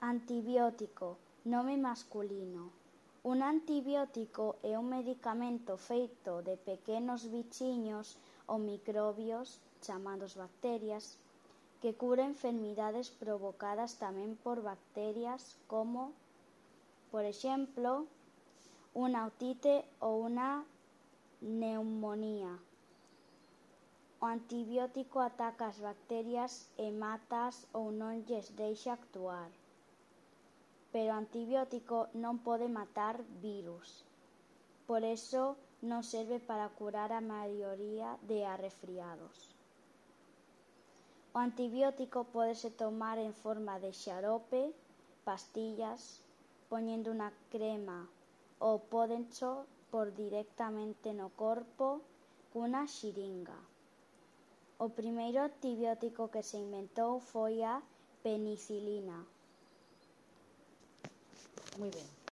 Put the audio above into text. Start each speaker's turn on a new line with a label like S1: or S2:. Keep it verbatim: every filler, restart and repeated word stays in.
S1: Antibiótico, nome masculino. Un antibiótico é un medicamento feito de pequenos bichiños ou microbios, chamados bacterias, que cura enfermidades provocadas tamén por bacterias como, por exemplo, unha otite ou unha neumonía. O antibiótico ataca as bacterias e mátaas ou non lles deixa actuar. Pero o antibiótico non pode matar virus. Por iso non serve para curar a maioría de resfriados. O antibiótico pódese tomar en forma de xarope, pastillas, poñendo unha crema ou pódencho por directamente no corpo cunha xiringa. O primeiro antibiótico que se inventou foi a penicilina.
S2: Muy ben.